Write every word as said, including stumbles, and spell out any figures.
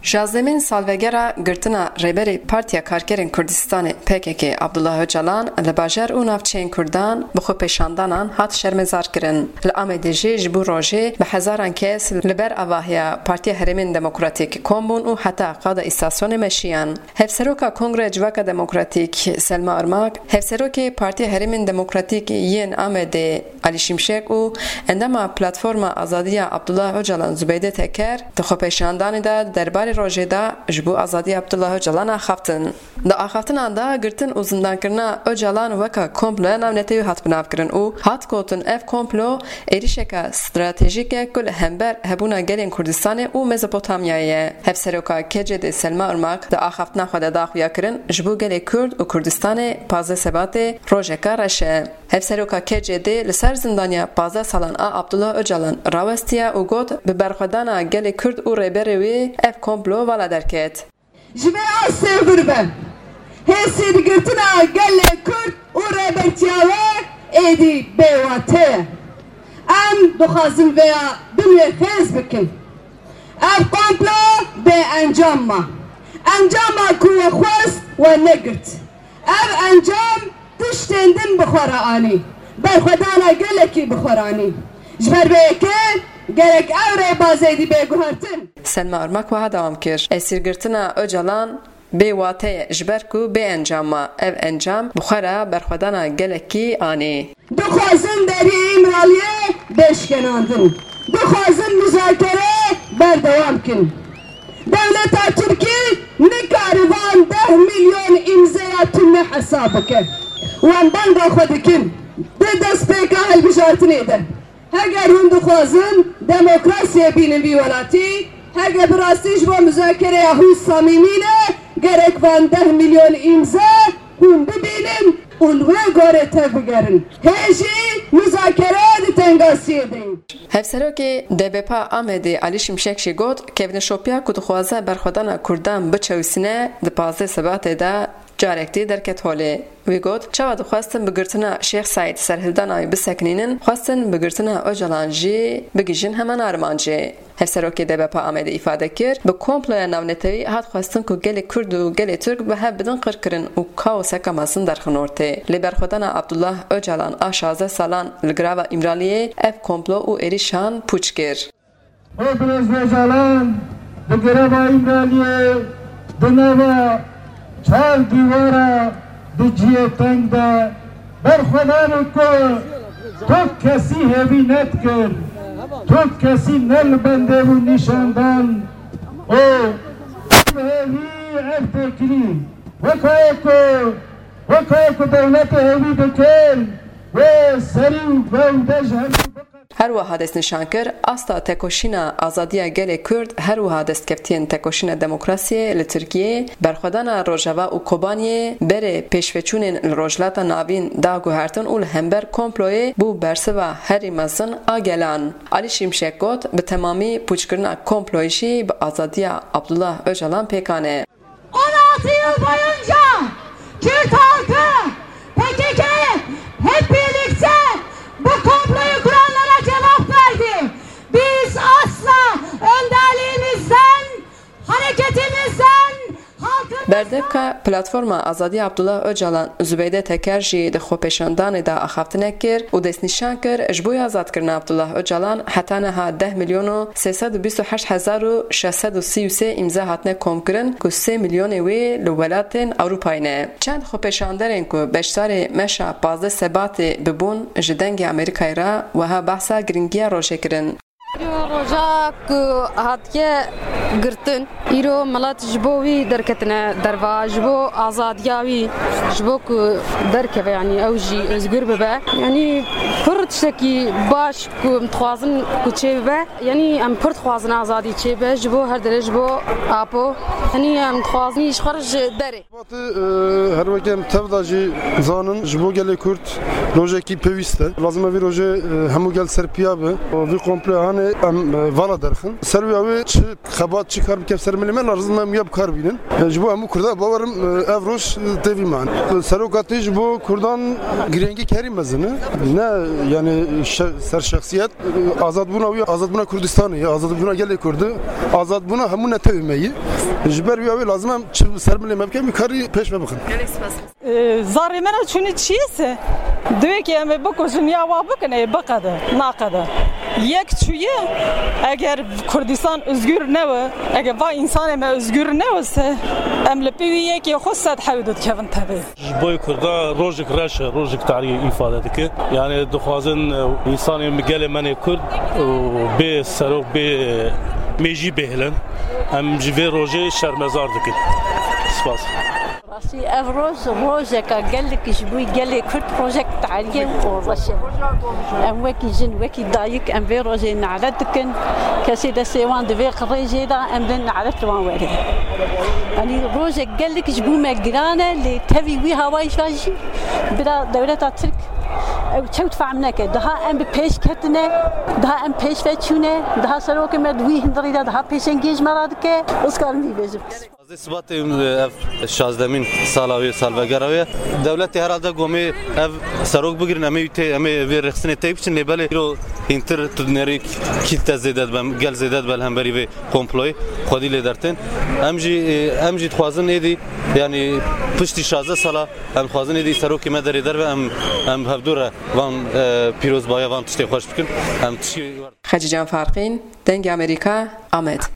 Şazdemîn salvegera girtina Rêberê Partiya Karkerên Kurdistanê P K K Abdullah Ocalan li bajar û navçeyên Kurdan bi xwepêşandanan hat şermezarkirin. Li Amedê jî ji bo rojê bi hezaran kes li ber avahiya Partiya Herêmên Demokratîk kom bûn û heta qada îstasyonê meşiyan. Hevseroka Kongreya Civaka Demokratîk Selma Irmak, Hevserokê Partiya Herêmên Demokratîk yên Amedê Alî Şimşek û endama Platforma Azadiya Abdullah Ocalan Zubeyde Teker di xwepêşandanê de derbarê rojê de ji bo azadiya Abdullah Ocalan axaftin. Di axaftinan de girtin û zindankirina Ocalan weka komploya navnetewî hat binavkirin û hat gotin ev komplo êrîşeke stratejîk e ku li hember hebûna gelên Kurdistanê û Mezopotamyayê ye. Hevseroka K C D Selma Irmak di axaftina xwe de da xuyakirin ji bo gelê Kurd û Kurdistanê pazdeh Sebatê rojeke reş e. Hevseroka K C D li ser zindaniya pazdeh salan a Abdullah Ocalan rawestiye û got, bi berxwedana gelê Kurd û rêberê wê ev komplo vala derket. Ji vê astê vir be, hêsîrgirtina gelê Kurd û rêbertiya wê êdî bêwate ye. Em dixwazin vêya binê xêz bikin. Ev komplo bê encam ma. Encama ku we xwest we negirt. Ev encam tiştên din bi xwe re anî. Berxwedana gelekî bi xwe re anî. Ji ber vê yekê gerek ew rêbazê dî bê guhertin. Selma Irmak wiha dewam kir, esîrgirtina Ocalan bê wate ye, ji ber ku bê encam ma. Ev encam bi xwe re berxwedana gelekî anî. Dixwazin deriyê Îmraliyê bêşkenandin. Dixwazin muzakere berdewam kin. Dewleta Tirkî nikare van deh milyon îmzeya tune hesab bike. Wan banga xwe dikin di destpêka hilbijartinê de. Heger hûn dixwazin demokrasiyê bînin vî welatî, heger bi rastî ji bo muzakereya hûn samîmî ne, gerek van deh milyon îmze hûn bibînin û li wê gorê tevbigerin. Hê jî muzakere di tengasiyê de ye. Hevserokê D B P Amedê Alî Şimşek jî got, kevneşopiya ku dixwaze berxwedana Kurdan biçewsîne, di pazdeh Sebatê de carek dî derket holê. Wî got, çawa dixwestin bi girtina Şêx Seîd serhildana wî bisekinînin, xwestin bi girtina Ocalan jî bigihîjin heman armancê. Hevserokê D B P Amedê îfade kir, bi komploya navnetewî hat xwestin ku gelê Kurd û gelê Tirk bi hev bidin qirkirin û kaoseke mezin derxin ortê. Lê berxwedana Abdullah Ocalan a şazdeh salan li girava Îmraliyê ev komplo û êrîşan pûç kir. Ê birêz Ocalan di gireva Îmraliyê di nava çar dîwara di cihê teng de berxwedanê ku tok kesî hêvî nedikir, tok kesî ne li bendê bû nîşandan û bi hêvî ev têkilî weka ye ku, weka ye ku dewletê hêvî dikir wê serî û gewde ji hemû biqe. Her wiha destnîşan kir, asta tekoşîna azadiya gelê Kurd, her wiha destkeftiyên tekoşîna demokrasiyê li Tirkiyê, berxwedana Rojava û Kobaniyê, berê pêşveçûnên li Rojhilata Navîn da guhertin û li hember komployê bû bersiva herî mezin a gelan. Alî Şimşek got, bi temamî pûçkirina komployê jî bi azadiya Abdullah Ocalan pêkan e. On altı yıl boyunca Kürt halkı, P K K hep birlikte bu komployu kuranlara cevap verdi. Biz asla önderliğimizden, hareketimizden, halkımızdan Berdevka Platforma Azadiya Abdullah Ocalan Zubeyde Teker jî di xwepêşandanê de axaftinek kir û destnîşan kir, ji bo azadkirina Abdullah Ocalan heta niha deh milyon û sê sed û bîst û heşt hezar û şeş sed û sî û sê îmze hatine komkirin ku sê milyonê wê li welatên Ewropayê ne. Çend xwepêşanderên ku beşdarê meşa pazdeh Sebatê bibûn ji Dengê Amerîkayê re wiha behsa giringiya rojê kirin. Îro roja ku hatiye girtin, îro milet ji bo wî derketine derva, ji bo azadiya wî, ji bo ku derkeve, yanî ew jî özgür bibe. Yanî pir tiştekî baş ku em dixwazin ku çêbibe. Yanî em pir dixwazin azadî çêbe ji bo her derê, ji bo Apo. Yanî em dixwazin ji xwe re ji derê. Batî, e, her weke em tev de jî zanin, ji bo gelê Kurd rojekî pêwîst e. Lazim e vî rojê, e, hemû gel ser piya be. Vî komploya hanê Em e, vala derxin. Ser wî awê çi xebat, çi kar bike ser milê me, lazim em ya bi kar bînin. E, ji bo hemû Kurda bawerim e, ev roj e, tê vî man. E, Seroka tê ji bo Kurdan girêngî kerî mezin e. Ne yani şe- ser şexsiyet, e, azadbûna wî, azadbûna Kurdistanê ye, azadbûna gelê Kurdi, azadbûna hemû netewê me ye. Ji ber wî awê lazim em çi ser milê me bikin, bi karî pêş me bixin. Gelek spas. Ee, zarê me ne çûnî çiyê se? Divê ki em ê bikujin ya wa bikin, ê biqede, naqede. Yek çûye, eger Kurdistan özgür ne we, eger va insanê me özgür ne we se, em li pê wî yekê xwe sed hewdû dikevin tevê. Ji boy Kurda rojek reş e, rojek tarî îfade dike. Yani dixwazin e, insanê gelê me nê Kurd û bê serok, bê mêjî bêhilin. Em ji vê rojê şermezar dikin. Spas. Rastî ev roj, rojeka gelek ji bo gelê Kurd rojek tarî ye û reş e. Em wekî jin, wekî dayik, em vê rojê nalet dikin. Kesê destê wan di vê qirêjê de, em dê nalet li wan were. Yanî rojek gelek ji bo me giran e, lê tevî wî hawayîşa jî bila dewleta Tirk ew çewt fehm neke. Daha em bi pêş ketine, daha em pêş ve çûne, daha serokê me di wî hundirî de daha pêşengiyê ji me re dike. Ez karim vî bêjim. Sîzdeh Sibatê ev şazdemîn sala wê, salvegera wê. Dewletê herhalde gomê ev serok bigirin, em ê tê, em ê vê rêxistinê tê biçin, lê belê îro hîntir tu dinerî kîlte zêde dibe, gel zêde dibe li hemberî vê komployê xwedî lê dertên. Em jî, em jî dixwazin êdî, yanî piştî şazdeh sala em dixwazin êdî serokê me derê derve, em, em hevdû re van, e, pîrozbahiya van tiştê xweş bikin. Em tiştê Xecîcan Farqîn, Dengê Amerîka, Amed.